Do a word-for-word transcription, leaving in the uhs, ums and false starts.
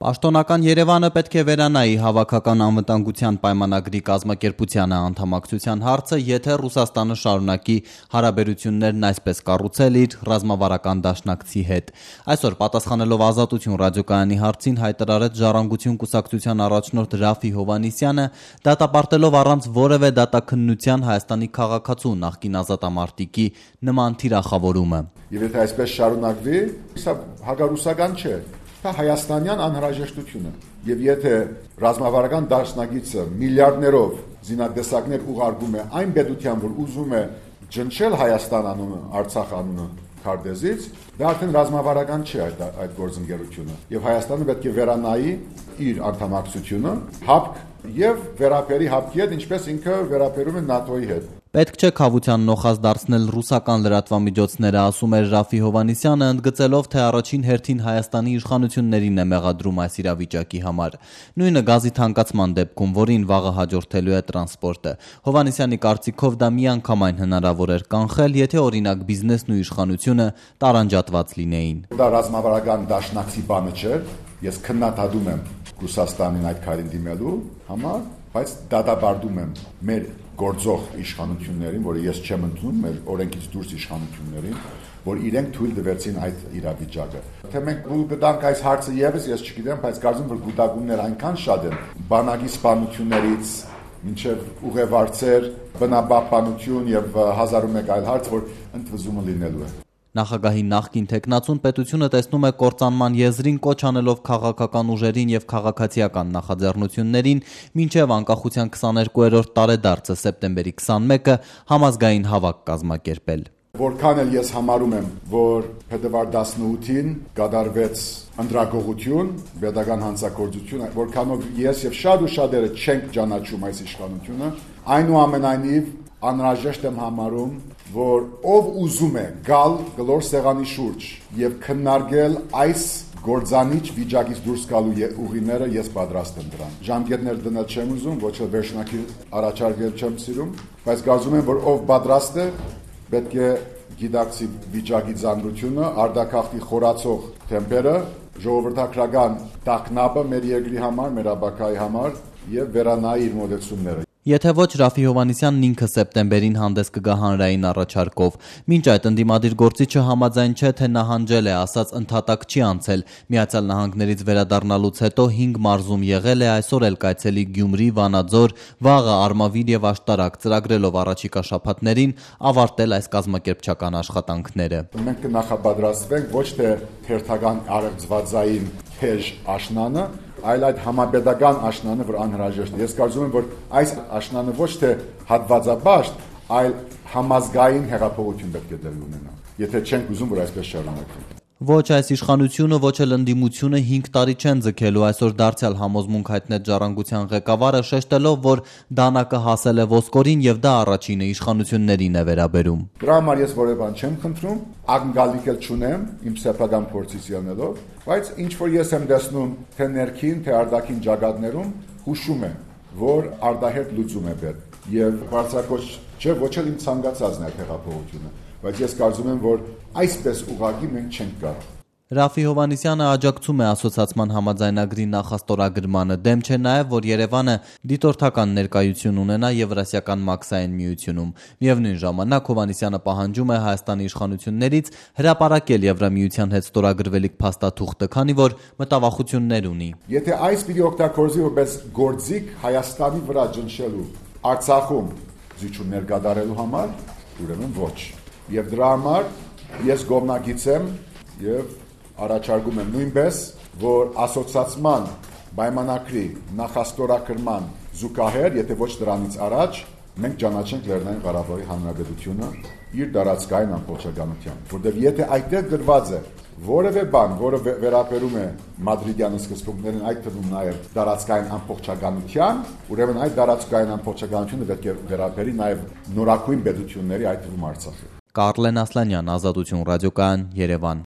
Պաշտոնական Երևանը պետք է վերանայի հավաքական անվտանգության պայմանագրի կազմակերպությանը անդամակցության հարցը, եթե Ռուսաստանը շարունակի հարաբերություններն այսպես կառուցել իր ռազմավարական դաշնակցի հետ։ Այսօր պատասխանելով Ազատություն ռադիոկայանի հարցին հայտարարեց Ժառանգություն կուսակցության առաջնորդ Ռաֆֆի Հովհաննիսյանը, դատապարտելով առանց որևէ դատաքննության Հայաստանի քաղաքացու նախկին ազատամարտիկի նման թիրախավորումը։ Եվ եթե այսպես շարունակվի, սա հակառուսական չէ, դա հայաստանյան անհրաժեշտությունը։ Եւ եթե ռազմավարական դաշնակիցը միլիարդներով զինատեսակներ ուղարկում է այն պետության, որ ուզում է ջնջել Հայաստան անունը, Արցախ անունը քարտեզից, դա արդեն ռազմավարական չէ այդ այդ գործընկերությունը։ Եվ Հայաստանը պետք է վերանայի իր անդամակցությունը, հապկ եւ վերապերի հապկի հետ, ինչպես ինքը վերապերում է ՆԱՏՕ-ի հետ։ Պետք չէ քավության նոխազ դարձնել ռուսական լրատվամիջոցները, ասում էր Ռաֆֆի Հովհաննիսյանը, ընդգծելով, թե առաջին հերթին Հայաստանի իշխանություններին է մեղադրում այս իրավիճակի համար։ Նույնը գազի թանկացման դեպքում, որին վաղը հաջորդելու է տրանսպորտը։ Հովհաննիսյանի կարծիքով դա միանգամայն հնարավոր էր կանխել, եթե օրինակ բիզնեսն ու իշխանությունը տարանջատված լինեին։ Դա ռազմավարական դաշնակցի բանը չէր, ես քննադատում եմ Ռուսաստանին այդ քայլին դիմելու համար, բայց դատապարտում եմ մեր գործող իշխանություններին, որը ես չեմ ընդունում, մեր օրենքից դուրս իշխանություններին, որ իրենք թույլ տվեցին այդ իրավիճակը։ Թե մենք գուլ կտանք այս հարցը եւս, ես չգիտեմ, բայց կարծում եմ, որ գուտակումներ այնքան շատ են, բանակի սպանություններից մինչև ուղևարցեր, բնապահպանություն եւ հազար ու մեկ այլ հարց, որ ընդվզումը լինելու է։ Նախագահի նախկին թեկնածուն պետությունը տեսնում է կործանման եզրին, կոչ անելով քաղաքական ուժերին եւ քաղաքացիական նախաձեռնություններին մինչեւ անկախության քսաներկուերորդ տարեդարձը սեպտեմբերի քսանմեկը համազգային հավաք կազմակերպել։ Որքան էլ ես համարում եմ, որ փետրվար տասնութին կատարվեց ընդրակողություն, պետական հանցագործություն, որքանով ես եւ շատ ու շատերը չենք ճանաչում այս իշխանությունը, այնուամենայնիվ անհրաժեշտ եմ համարում, որ ով ուզում է գալ գլոր սեղանի շուրջ եւ քննարկել այս գործանիչ վիճակից դուրս գալու ուղիները, ես պատրաստ եմ դրան։ Ժամկետներ դնել չեմ ուզում, ոչ էլ վերջնակի առաջարկել չեմ սիրում, բայց կարծում եմ, որ ով պատրաստ է, պետք է գիտակցի վիճակի ծանրությունը, արտագաղթի խորացող թեմպերը, ժողովրդական տագնապը մեր երկրի համար, մեր ապագայի համար եւ վերանայի իր մոտեցումները։ Եթե ոչ, Ռաֆֆի Հովհաննիսյանն ինքը սեպտեմբերին հանդես կգա հանրային առաջարկով։ Մինչ այդ ընդդիմադիր գործիչը համաձայն չէ, թե նահանջել է, ասած ընդհատակ չի անցել։ Միացյալ Նահանգներից վերադառնալուց հետո հինգ մարզում եղել է, այսօր էլ կայցելի Գյումրի, Վանաձոր, վաղը Արմավիր եւ Աշտարակ, ծրագրելով առաջիկա շաբաթներին ավարտել այս կազմակերպչական աշխատանքները։ Մենք կնախապատրաստվենք ոչ թե հերթական արևծվածային թեժ աշնանը, այլ այդ համապետական աշնանը, որ անհրաժեշտ է։ Ես կարծում եմ, որ այս աշնանը ոչ թե հատվածաբաշտ, այլ համազգային հեղափոխություն պետք է դեպի ունենա, եթե չենք ուզում, որ այսպես շարունակվի։ Ոչ այս իշխանությունը, ոչ էլ ընդդիմությունը հինգ տարի չեն ձգելու, այսօր դարձյալ համոզմունք հայտնեց Ժառանգության ղեկավարը, շեշտելով, որ դանակը հասել է ոսկորին եւ դա առաջինը իշխանություններին է վերաբերում։ Դրա համար ես որևէ բան չեմ խնդրում, ակնկալիք էլ չունեմ իմ սեփական փորձից ելնելով, բայց ինչ որ ես եմ տեսնում թե ներքին, թե արտաքին ճակատներում, հուշում եմ, որ արտահերտ լուծում է պետք եւ բարձրակոչ չէ, ոչ էլ իմ ցանկացածն է հեղափոխությունը, բայց ես կարծում եմ, որ այսպես ուղղակի մենք չենք կարող։ Ռաֆֆի Հովհաննիսյանը աջակցում է ասոցիացման համաձայնագրի նախաստորագրմանը, դեմ չէ նաև, որ Երևանը դիտորդական ներկայություն ունենա Եվրասիական մաքսային միությունում։ Միևնույն ժամանակ Հովհաննիսյանը պահանջում է Հայաստանի իշխանություններից հրապարակել Եվրամիության հետ ստորագրվելիք փաստաթուղթը, քանի որ մտավախություններ ունի։ Եթե այս պիտի օգտագործի որպես գործիք Հայաստանի վրա ջնջելու, Արցախում զիջումներ կատարելու համար, ուրեմն ոչ։ Եվ դրա համար ես գոհնակից եմ եւ առաջարկում եմ նույնպես, որ ասոցիացման պայմանագրի նախաստորագրման զուգահեռ, եթե ոչ դրանից առաջ, մենք ճանաչենք Լեռնային Ղարաբաղի Հանրապետությունը իր տարածքային ամբողջականությամբ, որտեղ եթե այդտեղ գրված է որևէ բան, որը վերաբերում է մադրիդյան սկզբունքներին, այդ թվում նաև տարածքային ամբողջականության, ուրեմն այդ տարածքային ամբողջականությունը պետք է վերաբերի նաև նորակույն պետությունների, այդ թվում Արցախի։ Կարլեն Ասլանյան, Ազատություն ռադիոկայան, Երևան։